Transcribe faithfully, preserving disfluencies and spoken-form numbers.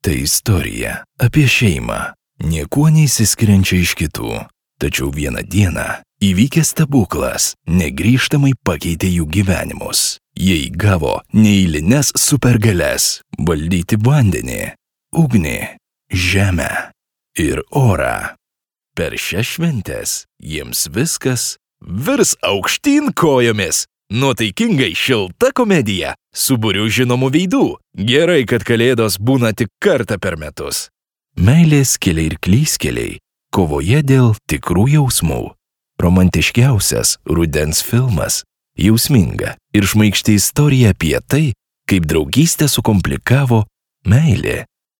Tai istorija apie šeimą, niekuo neįsiskiriančią iš kitų. Tačiau vieną dieną įvykęs stebuklas negrįžtamai pakeitė jų gyvenimus. Jie įgavo neeilines supergalias valdyti vandenį, ugnį, žemę ir orą. Per šias šventes jiems viskas virs aukštyn kojomis. Nuotaikingai šilta komedija su būriu žinomų veidų. Gerai, kad kalėdos būna tik kartą per metus. Meilės keliai ir klystkeliai kovoje dėl tikrų jausmų. Romantiškiausias rudens filmas. Jausminga ir šmaikšti istorija apie tai, kaip draugystę sukomplikavo meilė.